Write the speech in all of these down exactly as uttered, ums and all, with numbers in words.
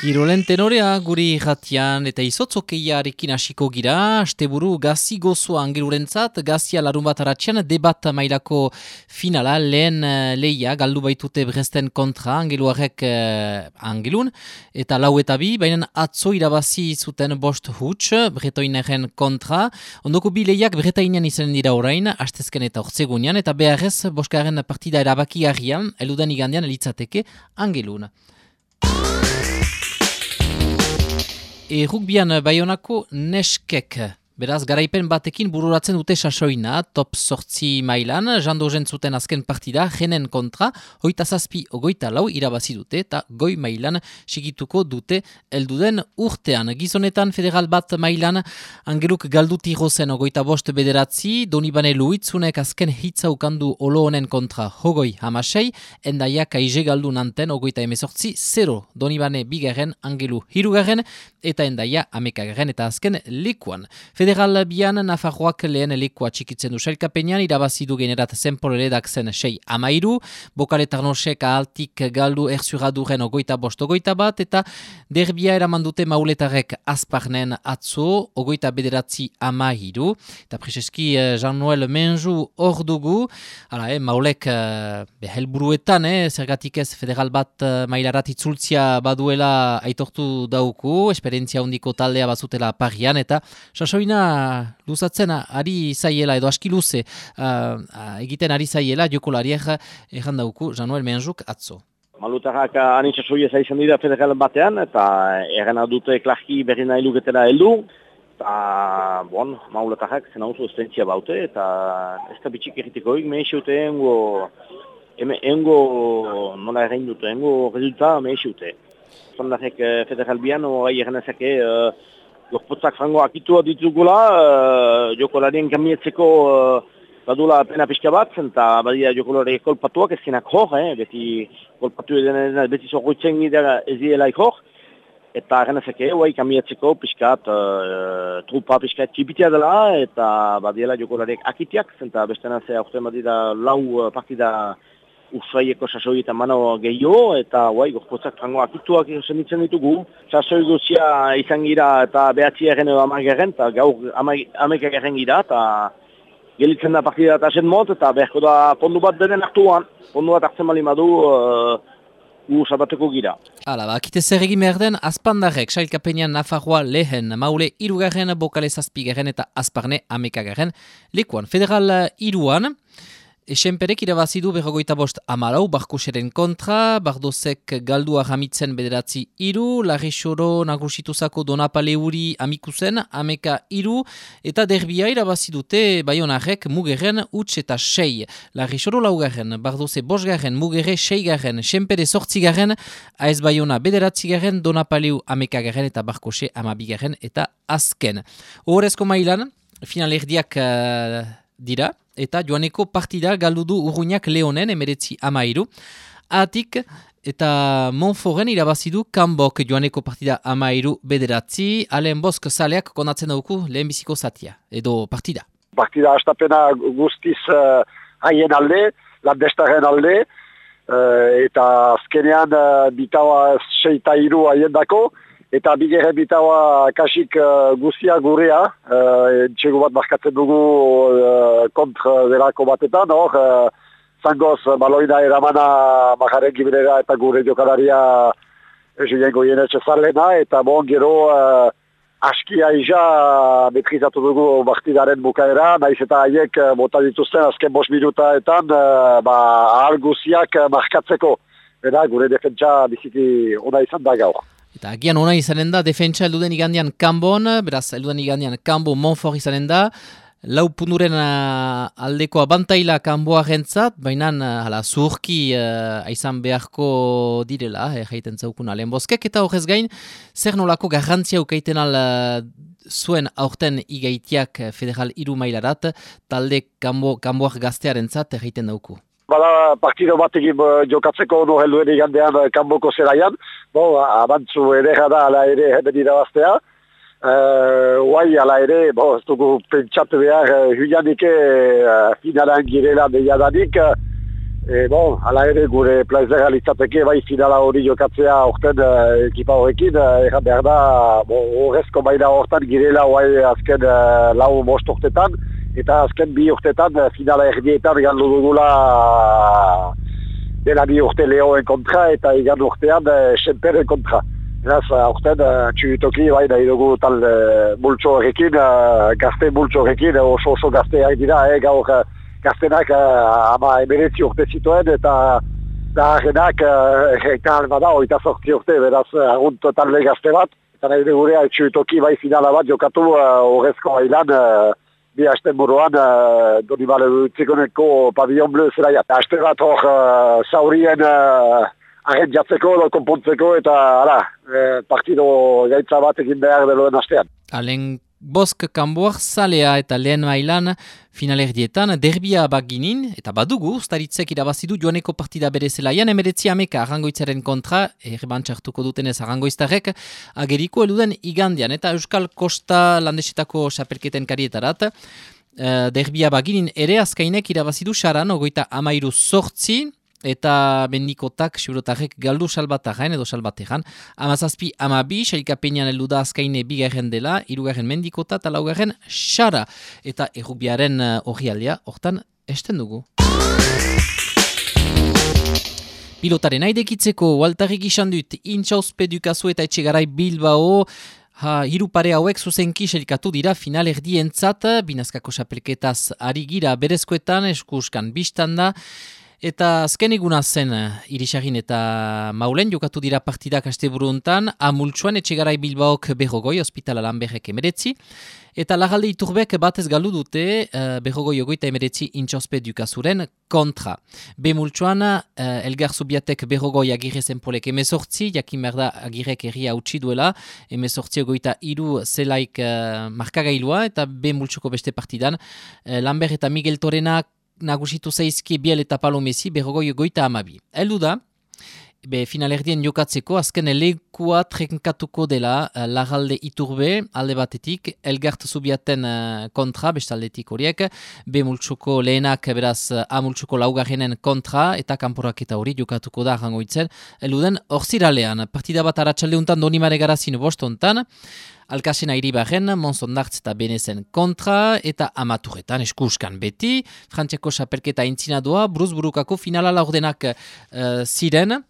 Kirolen tenorea guri jatian eta izotzokeiarekin hasiko gira, asteburu gazi gozoa angelurentzat, gazia larun bat aratxian, debat mailako finala, lehen uh, leia, galdu baitute Bresten kontra, angeluarek uh, angelun, eta lau eta bi, baina atzo irabazi zuten bost huts, bretoineren kontra, ondoko bi leiak bretainian izanen dira orain, astezken eta ortzegunean, eta beharrez, boskaren partida erabaki harrian, eludan igandean elitzateke angelun. E rugbian Baionako neskek, beraz garaipen batekin bururatzen dute sasoina, top sortzi mailan, jando jentzuten azken partida, jenen kontra, hoita zazpi ogoita lau irabazi dute, eta goi mailan sigituko dute elduden urtean. Gizonetan federal bat mailan, angeluk galduti rozen ogoita bost bederatzi, Donibane Luitzunek azken hitza ukandu olo honen kontra hogoi hamasei, endaiak aize galdu nanten ogoita emezortzi zero, Donibane bigarren, angelu hirugarren, eta endaia amekagaren eta azken lekuan. Federal bian Nafarroak lehen lekua txikitzen du sailkapenean, irabazi du generat zenpoleredak zen sei amairu, Bokaletarnosek ahaltik galdu erzuraduren ogoita bost ogoita bat, eta derbia eraman dute mauletarek azparnen atzo, ogoita bederatzi amairu, eta preseski Jean-Noel Menju hor dugu, hala, eh, maulek eh, helburuetan, eh, zergatik ez federal bat eh, mailarat itzultzia baduela aitortu dauku, esperientzia hondiko taldea bazutela parian, eta sasoina luzatzen ari zaiela edo aski luze uh, egiten ari zaiela jokolariak erran dauku Jean-Noel Menjuk atzo. Malutarrak anitzasoia zaizan dira federal batean, eta erren dute klarki berri nahi luketela heldu, eta bon, maulatarrak zen hauzu estentzia baute, eta ez da bitxik erritikoik, meheseute engo, engo nola errein dute, engo resulta meheseute. Zandarek federal bian, hori erren ezake, uh, Gorpotzak frango akitua ditugula, uh, jokolarien kamietzeko uh, badula pena pixka bat, eta badia jokolari kolpatuak ezkenak hor, eh, beti kolpatu edenean, beti zorgoitzen gira ez dielaik hor, eta genezake, huai kamietzeko pixkat, uh, trupa pixkat txipitia dela, eta badiela jokolariek akitiak, eta bestena ze aurten badira lau partida Ursaieko sasoi eta mano gehiago, eta guai, gorpotzak frango akituak senitzen ditugu. Sasoi guzia izan gira eta behatzi erren edo amargerren, eta gaur amargerren gira, eta gelitzen da partida eta zen mot, eta beharko da pondu bat denen hartuan. Pondu bat hartzen bali madu, uh, gu sabateko gira. Hala, bakite zer egin behar den, azpandarrek, sailkapenean Nafarroa lehen, maule irugarren, bokale zazpigarren eta azparne amekagarren lekuan. Federal iruan, Esenperek irabazidu berrogoita bost amalau, Barkoseren kontra, Bardozek galdua jamitzen bederatzi iru, Larrexoro nagusituzako Donapaleuri amikuzen, ameka iru, eta derbia irabazidute Baionarrek mugerren utx eta sei. Larrexoro laugarren, Bardoze bosgarren, mugerre seigarren, Senpere sortzigarren, Aez Baiona bederatzigarren, Donapaleu amekagarren eta Barkose amabigarren eta azken. Horrezko mailan, finalerdiak uh, dira, eta joaneko partida galdudu Urruñak Leonen emeretzi amairu. Atik eta Monforen irabazidu Kanbok joaneko partida amairu bederatzi. Alen Bosk zaleak konatzen dauku lehenbiziko zatia, edo partida. Partida hastapena guztiz uh, haien alde, landestaren alde, uh, eta azkenean uh, bitaua seita iru haien dako, eta bigere bitaua kasik uh, guzia gurea, uh, txegu bat markatzen dugu uh, kontra delako batetan, hor, uh, zangoz baloina eramana majaren gibelera eta gure jokalaria Julien Goyenetxe zarlena, eta bon gero uh, askia ija metrizatu dugu partidaren bukaera, naiz eta haiek uh, bota dituzten azken bost minutaetan uh, ba, ahal guziak uh, markatzeko. Eta gure defentsa biziki ona izan da gaur. Eta agian ona izanen da, defentsa elduden igandian Kanbon, beraz elduden igandian Kanbo Monfort izanen da, lau punduren uh, aldeko abantaila Kanboa rentzat, baina uh, zuhurki uh, aizan beharko direla, eh, jaiten zaukun Alen Boskek, eta horrez gain, zer nolako garrantzia ukaiten al uh, zuen aurten igaitiak federal iru mailarat, talde Kanbo, Kanboak gaztearentzat jaiten dauku. Bada partido batekin uh, jokatzeko no helduen igandean uh, Kanboko zeraian, bo, abantzu edera da ala ere hemen irabaztea. Uh, Uai ala ere, bo, ez dugu pentsatu behar, uh, Julianike uh, finalan girela deiadanik, uh, E, bon, hala ere gure plazera litzateke bai finala hori jokatzea orten uh, ekipa horrekin, uh, erran behar da, bon, horrezko baina hortan girela hoai azken uh, lau bost urtetan, eta azken bi urtetan uh, finala erdietan gandu dugula uh, dela bi urte Leoen kontra eta igan urtean uh, Xemperen kontra. Eraz, uh, orten uh, txutoki bai nahi dugu tal uh, multxo horrekin, uh, gazte multxo horrekin, oso oso gazteak dira, eh, gaur uh, gaztenak uh, ama emeretzi urte zituen eta zaharrenak uh, eta bada oita sortzi urte, beraz agunt talde gazte bat. Eta nahi gure txutoki bai finala bat jokatu horrezko uh, bailan uh, bi hasten buruan uh, Donibale Txikoneko Pavillon Bleu zelaia. Haste bat hor uh, zaurien uh, arren jatzeko, konpontzeko eta ara, uh, partido gaitza bat egin behar deloen hastean. Alen Bosk kanboak zalea eta lehen mailan finalerdietan derbia baginin, eta badugu, ustaritzek irabazidu joaneko partida bere zelaian, emeretzi ameka arrangoitzaren kontra, errebantxartuko dutenez arrangoiztarek, ageriko eluden igandian, eta Euskal Kosta landesetako xapelketen karietarat, uh, derbia baginin ere azkainek irabazidu xaran, ogoita amairu sortzi, eta bendikotak siurotarrek galdu salbatarraen edo salbateran. Amazazpi amabi, sailkapenean heldu da azkaine bigarren dela, hirugarren mendikota eta laugarren xara. Eta errukbiaren hori uh, aldea, hortan esten dugu. Pilotaren aidekitzeko, Waltarrik izan dut, Intxauzpe Dukazu eta Etxegarai Bilbao, Ha, hiru pare hauek zuzenki sailkatu dira final erdientzat, binazkako xapelketaz ari gira berezkoetan, eskuskan biztan da, eta azken eguna zen Irisagin eta Maulen jokatu dira partidak asteburu hontan, Amultsuan Etxegarai Bilbaok berrogoi, Hospitala Lanberrek emeretzi, eta Lagalde Iturbek batez galdu dute uh, berrogoi ogoita emeretzi Intxauzpe Dukazuren kontra. Bemultsuan uh, Elgar Zubiatek berrogoi Agirre Zenpolek emezortzi, jakin behar da Agirrek herria utzi duela, emezortzi ogoita iru zelaik uh, markagailua, eta Bemultsuko beste partidan, uh, Lanber eta Miguel Torena nagusitu zaizki Biel eta Palomezi berrogoi ogoita amabi. Eldu da, be finalerdien jokatzeko, azken lekua trenkatuko dela uh, Lagalde Iturbe alde batetik, Elgart Zubiaten uh, kontra, bestaldetik horiek, Bemultsuko lehenak beraz uh, Amultsuko laugarrenen kontra, eta kanporaketa hori jokatuko da arrangoitzen, eluden orziralean, partida bat aratsaldeuntan Donimare Garazin bostontan, Alkasena Iribarren, Monsondartz eta Benezen kontra, eta Amaturretan eskuskan beti, Frantziako xapelketa intzinadua, Bruzburukako finala laurdenak uh, ziren,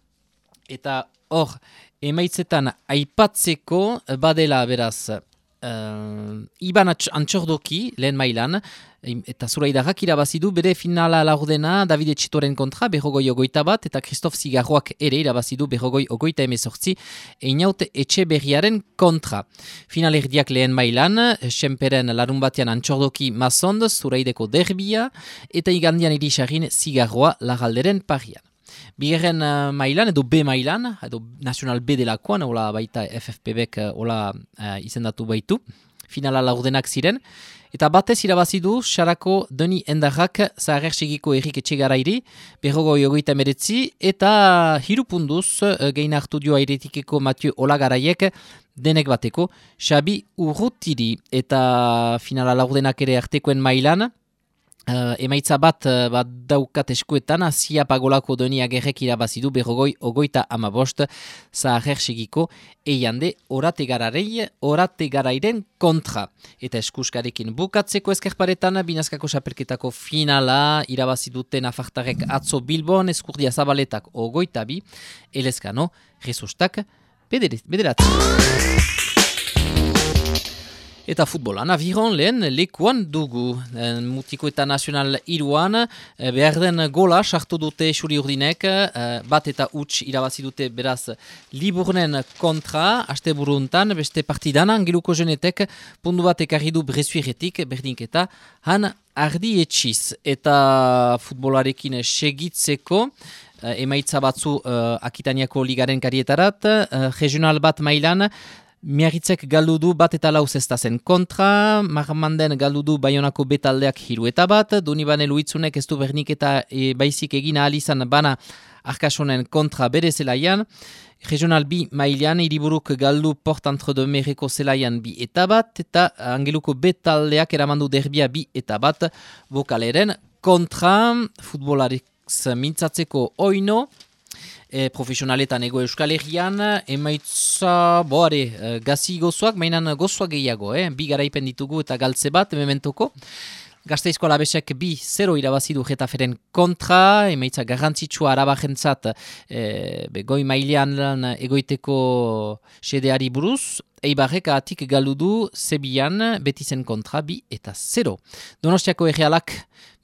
eta hor, emaitzetan aipatzeko badela beraz, uh, Iban Antxordoki, lehen mailan, eta Zuraidarrak irabazidu bere finala laurdena Davide Txitoren kontra berrogoi ogoita bat, eta Christophe Zigarroak ere irabazidu berrogoi ogoita emezortzi Einaut Etxeberriaren kontra. Finalerdiak lehen mailan, Xemperen larun batean Antxordoki Mazond, Zuraideko derbia, eta igandian Irisagin Zigarroa Lagalderen parian. Bigarren uh, mailan, edo B mailan, edo National B delakoan, hola baita F F P B-ek hola uh, izendatu baitu, finala laurdenak ziren, eta batez irabazidu Xarako Doni Endarrak Zaharrer segiko Erik Etxegarairi, berrogoi ogoita emeretzi, eta hiru punduz uh, gehin hartu dio airetikeko Mathieu Olagaraiek, denek bateko, Xabi Urrutiri, eta finala laurdenak ere artekoen mailan, Uh, emaitza bat, uh, bat daukat eskuetan, Azia Pagolako Doni Agerrek irabazidu berrogoi ogoita amabost Zaharrer segiko eiande orategararei, orategarairen kontra. Eta eskuskarekin bukatzeko eskerparetan, binazkako xapelketako finala irabaziduten afartarek atzo Bilbon, eskurdia zabaletak ogoita bi, elezkano, resustak, bederat. Eta futbolan, aviron lehen lekuan dugu. E, mutiko eta nazional iruan, e, behar den gola sartu dute xuri urdinek, e, bat eta huts irabazi dute beraz Liburnen kontra, aste buruntan, beste partidan, Angeluko Jenetek, pundu bat ekarri du Brezuiretik, berdinketa, han ardi etxiz. Eta futbolarekin segitzeko, e, emaitza batzu e, Akitaniako ligaren karietarat, e, regional bat mailan, Miarritzek galdu du bat eta lau zestazen kontra, Marmanden galdu du Baionako betaldeak hiru eta bat, Donibane Luitzunek ez du bernik eta e, baizik egin ahal izan bana Arkasonen kontra bere zelaian, Regional bi mailean Hiriburuk galdu Port Entre de Merreko zelaian bi eta bat, eta Angeluko betaldeak eramandu derbia bi eta bat Bokaleren kontra, futbolarik X mintzatzeko oino, E, profesionaletan ego Euskal Herrian, emaitza, boare, e, gazi gozoak, mainan gozoak gehiago, eh? Bi garaipen ditugu eta galtze bat, mementoko. Gasteizko Alabesek bi zero irabazidu Getaferen kontra, emaitza garrantzitsua arabajentzat e, goi mailean egoiteko sedeari buruz, Eibarrek atik galdu du Zebian Betizen kontra bi eta zero. Donostiako errealak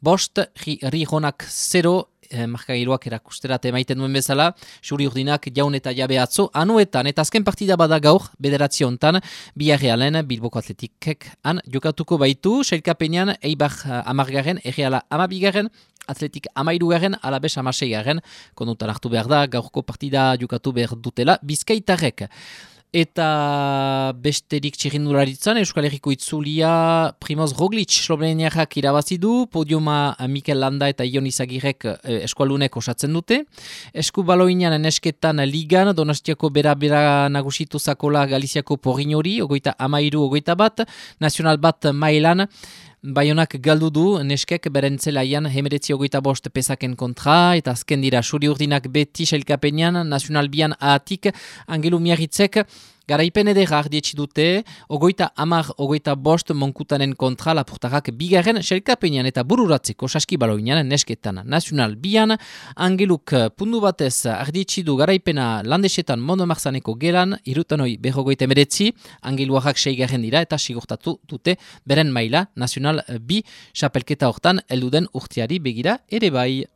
bost, Rijonak zero, Eh, markagailuak erakusterat emaiten duen bezala, xuri urdinak jaun eta jabe atzo, anuetan, eta azken partida bada gaur, bederatzi hontan, Biarrealen, Bilboko Atletikek, han jokatuko baitu, sailkapenean, Eibar amargaren, erreala amabigaren, Atletik amairugaren, Alabes amaseigarren, konutan hartu behar da, gaurko partida jokatu behar dutela, Bizkaitarrek. Eta besterik txirrindularitzan, Euskal Herriko itzulia Primoz Roglic Sloveniarrak irabazi du, podiuma Mikel Landa eta Ion Izagirrek eh, eskualunek osatzen dute. Eskubaloinean nesketan ligan, Donostiako bera-bera nagusitu zakola Galiziako Porrinori, ogoita amairu, ogoita bat, nazional bat mailan, Baionak galdu du, neskek beren zelaian hemeretzi ogoita bost pesaken kontra, eta azken dira xuri urdinak beti sailkapenean, nazional bian ahatik, Angelu Miarritzek, garaipen edera ardietsi dute, ogoita amar, ogoita bost monkutanen kontra, lapurtarrak bigarren sailkapenean eta bururatzeko saskibaloinean nesketan nazional bian, Angeluk pundu batez ardietsi du garaipena landesetan Monomarzaneko gelan, irutanoi berrogoita emeretzi, Angeluarrak seigarren dira eta sigurtatu dute beren maila nazional bi xapelketa hortan elduden urtiari begira ere bai.